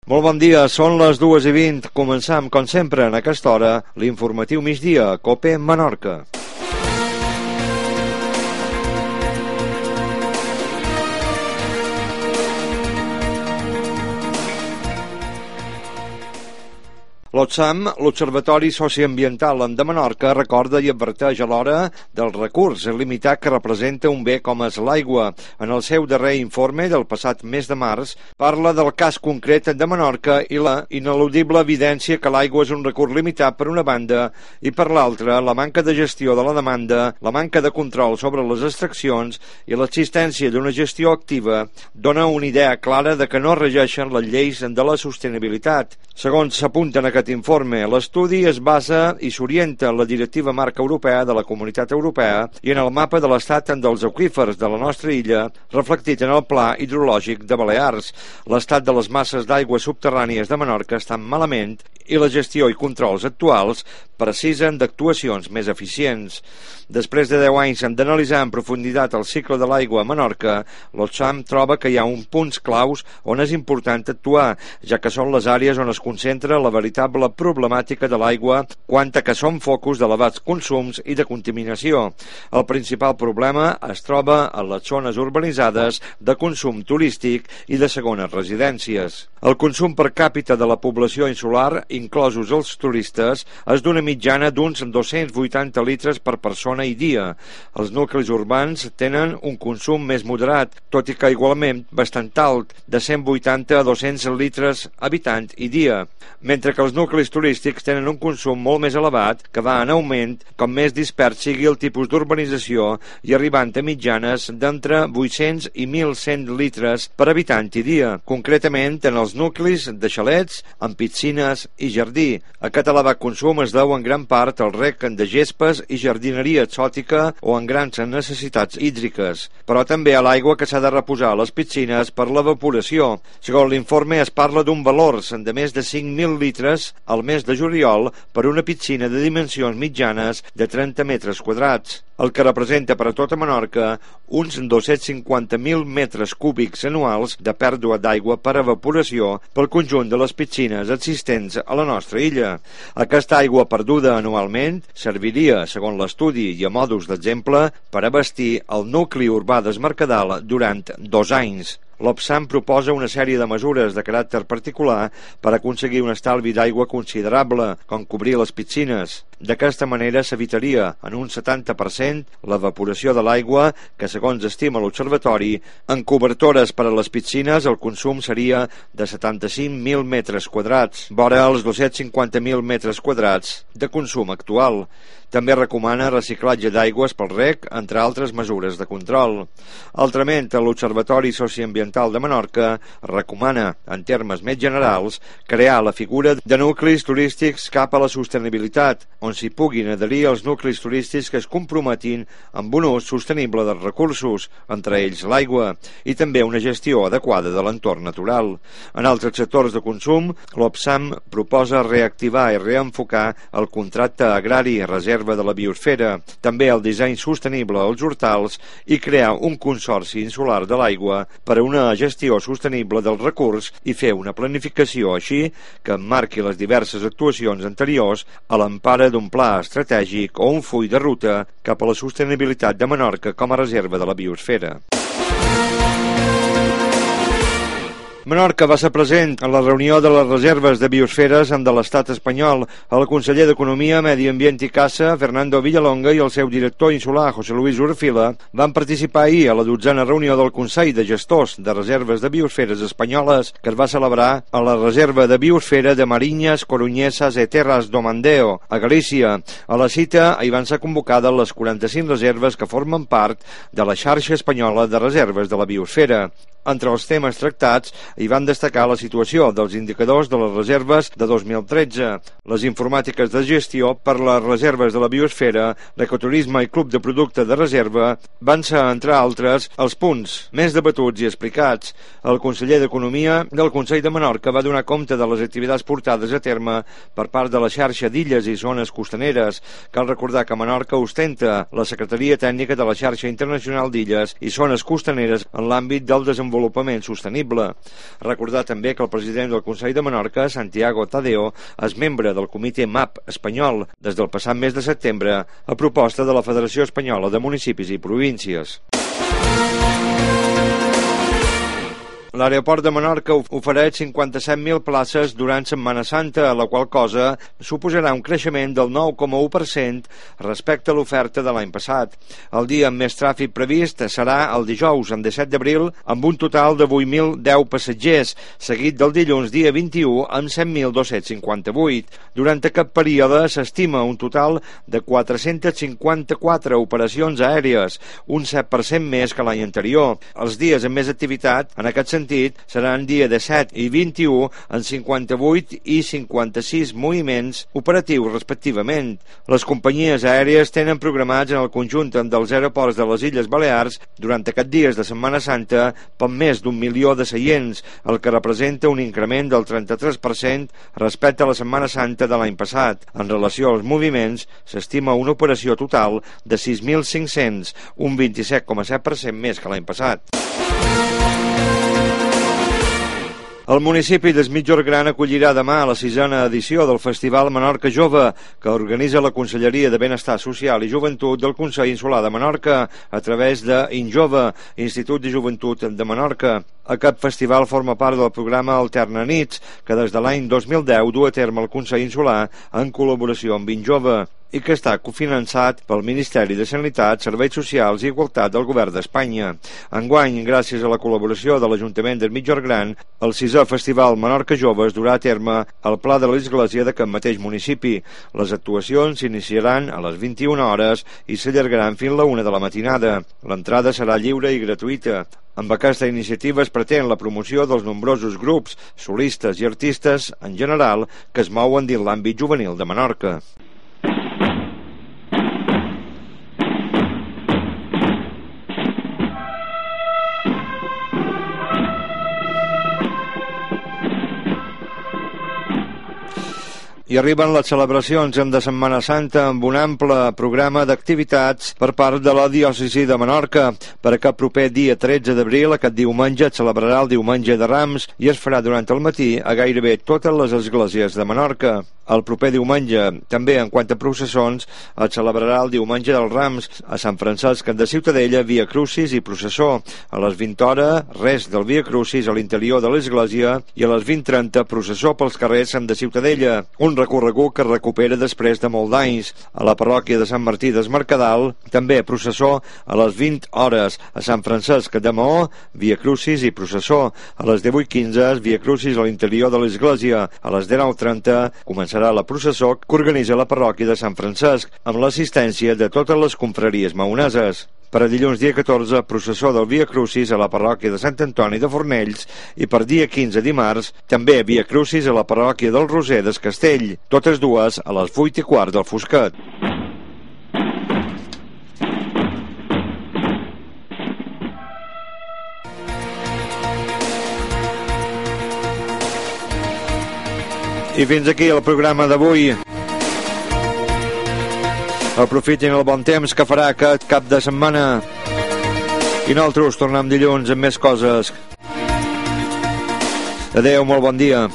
Molt bon dia, són les 2:20. Començam, com sempre, en aquesta hora, l'informatiu migdia, COPE Menorca. L'OTSAM, l'Observatori Socioambiental de Menorca, recorda i adverteix alhora del recurs limitat que representa un bé com és l'aigua. En el seu darrer informe del passat mes de març, parla del cas concret de Menorca i la ineludible evidència que l'aigua és un recurs limitat per una banda i per l'altra la manca de gestió de la demanda, la manca de control sobre les extraccions i l'existència d'una gestió activa dona una idea clara de que no regeixen les lleis de la sostenibilitat. Segons s'apunta en aquest informe, l'estudi es basa i s'orienta en la directiva marca europea de la Comunitat Europea i en el mapa de l'estat dels aqüífers de la nostra illa, reflectit en el Pla Hidrològic de Balears. L'estat de les masses d'aigua subterrànies de Menorca estan malament i la gestió i controls actuals precisen d'actuacions més eficients. Després de 10 anys d'analitzar en profunditat el cicle de l'aigua a Menorca, l'OTSAM troba que hi ha uns punts claus on és important actuar, ja que són les àrees on es concentra la veritable problemàtica de l'aigua quant a que són focus d'elevats consums i de contaminació. El principal problema es troba a les zones urbanitzades de consum turístic i de segones residències. El consum per càpita de la població insular, inclosos els turistes, és d'una mitjana d'uns 280 litres per persona i dia. Els nuclis urbans tenen un consum més moderat, tot i que igualment bastant alt, de 180 a 200 litres habitant i dia, mentre que els nuclis turístics tenen un consum molt més elevat, que va en augment com més dispers sigui el tipus d'urbanització i arribant a mitjanes d'entre 800 i 1.100 litres per habitant i dia, concretament en els nuclis de xalets, amb piscines i jardí. Aquest elevat consum es deu en gran part al rec de gespes i jardineria exòtica o en grans necessitats hídriques, però també a l'aigua que s'ha de reposar a les piscines per l'evaporació. Segons l'informe es parla d'un valor de més de 5.000 litres al mes de juliol per una piscina de dimensions mitjanes de 30 metres quadrats, el que representa per a tota Menorca uns 250.000 metres cúbics anuals de pèrdua d'aigua per evaporació pel conjunt de les piscines existents a la nostra illa. Aquesta aigua perduda anualment serviria, segons l'estudi i a modus d'exemple, per abastir el nucli urbà d'Esmercadal durant 2 anys. L'OTSAM proposa una sèrie de mesures de caràcter particular per aconseguir un estalvi d'aigua considerable, com cobrir les piscines. D'aquesta manera s'evitaria en un 70% l'evaporació de l'aigua que, segons estima l'Observatori, en cobertores per a les piscines el consum seria de 75.000 metres quadrats, vora els 250.000 metres quadrats de consum actual. També recomana reciclatge d'aigües pel rec, entre altres mesures de control. Altrament, l'Observatori Socioambiental de Menorca recomana, en termes més generals, crear la figura de nuclis turístics cap a la sostenibilitat, on s'hi puguin adherir els nuclis turístics que es comprometin amb un ús sostenible dels recursos, entre ells l'aigua, i també una gestió adequada de l'entorn natural. En altres sectors de consum, l'OTSAM proposa reactivar i reenfocar el contracte agrari reserva de la biosfera, també el disseny sostenible als hortals i crear un consorci insular de l'aigua per a una gestió sostenible del recurs i fer una planificació així que emmarqui les diverses actuacions anteriors a l'empara d'un pla estratègic o un full de ruta cap a la sostenibilitat de Menorca com a reserva de la biosfera. Menorca va ser present en la reunió de les reserves de biosferes de l'estat espanyol. El conseller d'Economia, Medi Ambient i Caça, Fernando Villalonga, i el seu director insular, José Luis Urfila, van participar ahir a la 12a reunió del Consell de Gestors de Reserves de Biosferes Espanyoles, que es va celebrar a la reserva de biosfera de Mariñas, Coruñesas e Terras do Mandeo, a Galícia. A la cita hi van ser convocades les 45 reserves que formen part de la xarxa espanyola de reserves de la biosfera. Entre els temes tractats hi van destacar la situació dels indicadors de les reserves de 2013, les informàtiques de gestió per les reserves de la biosfera, l'ecoturisme i club de producte de reserva van ser, entre altres, els punts més debatuts i explicats. El conseller d'Economia del Consell de Menorca va donar compte de les activitats portades a terme per part de la xarxa d'illes i zones costaneres. Cal recordar que Menorca ostenta la Secretaria Tècnica de la Xarxa Internacional d'Illes i Zones Costaneres en l'àmbit del desenvolupament sostenible. Recordar també que el president del Consell de Menorca, Santiago Tadeo, és membre del comitè MAP espanyol des del passat mes de setembre a proposta de la Federació Espanyola de Municipis i Províncies. L'aeroport de Menorca ofereix 57.000 places durant Setmana Santa, la qual cosa suposarà un creixement del 9,1% respecte a l'oferta de l'any passat. El dia amb més tràfic previst serà el dijous, en 17 d'abril, amb un total de 8.010 passatgers, seguit del dilluns, dia 21, amb 7.258. Durant aquest període s'estima un total de 454 operacions aèries, un 7% més que l'any anterior. Els dies amb més activitat, en aquest sentit, seran dia 17 i 21 en 58 i 56 moviments operatius respectivament. Les companyies aèries tenen programats en el conjunt dels aeroports de les Illes Balears durant aquests dies de Setmana Santa per més d'1 milió de seients, el que representa un increment del 33% respecte a la Setmana Santa de l'any passat. En relació als moviments, s'estima una operació total de 6.500, un 27,7% més que l'any passat. El municipi d'Es Migjorn Gran acollirà demà la 6a edició del Festival Menorca Jove, que organitza la Conselleria de Benestar Social i Joventut del Consell Insular de Menorca a través de InJove, Institut de Joventut de Menorca. Aquest festival forma part del programa Alterna Nits, que des de l'any 2010 du a terme el Consell Insular en col·laboració amb InJove i que està cofinançat pel Ministeri de Sanitat, Serveis Socials i Igualtat del Govern d'Espanya. Enguany, gràcies a la col·laboració de l'Ajuntament d'Es Migjorn Gran, el 6è Festival Menorca Jove es durà a terme al Pla de l'Església d'aquest mateix municipi. Les actuacions s'iniciaran a les 21 hores i s'allargaran fins a la 1 de la matinada. L'entrada serà lliure i gratuïta. Amb aquesta iniciativa es pretén la promoció dels nombrosos grups, solistes i artistes en general que es mouen dins l'àmbit juvenil de Menorca. I arriben les celebracions de Setmana Santa amb un ample programa d'activitats per part de la diòcesi de Menorca. Per aquest proper dia 13 d'abril, aquest diumenge, es celebrarà el Diumenge de Rams i es farà durant el matí a gairebé totes les esglésies de Menorca. El proper diumenge, també en quant a processons, es celebrarà el Diumenge dels Rams a Sant Francesc de Ciutadella, Via Crucis i processó. A les 20 hores, res del Via Crucis a l'interior de l'església i a les 20:30 processó pels carrers de Ciutadella, un recorregut que es recupera després de molt d'anys. A la parròquia de Sant Martí des Mercadal, també processó a les 20 hores a Sant Francesc de Maó, Via Crucis i processó. A les 18:15, Via Crucis a l'interior de l'església. A les 19:30 començarà la processó que organitza la parròquia de Sant Francesc, amb l'assistència de totes les confraries maoneses. Per a dilluns dia 14, processó del Via Crucis a la parròquia de Sant Antoni de Fornells i per dia 15 dimarts, també Via Crucis a la parròquia del Roser des Castell, totes dues a les 8:15 del Fosquet. I fins aquí el programa d'avui. Aprofitin el bon temps que farà aquest cap de setmana. I nosaltres tornem dilluns amb més coses. Adéu, molt bon dia.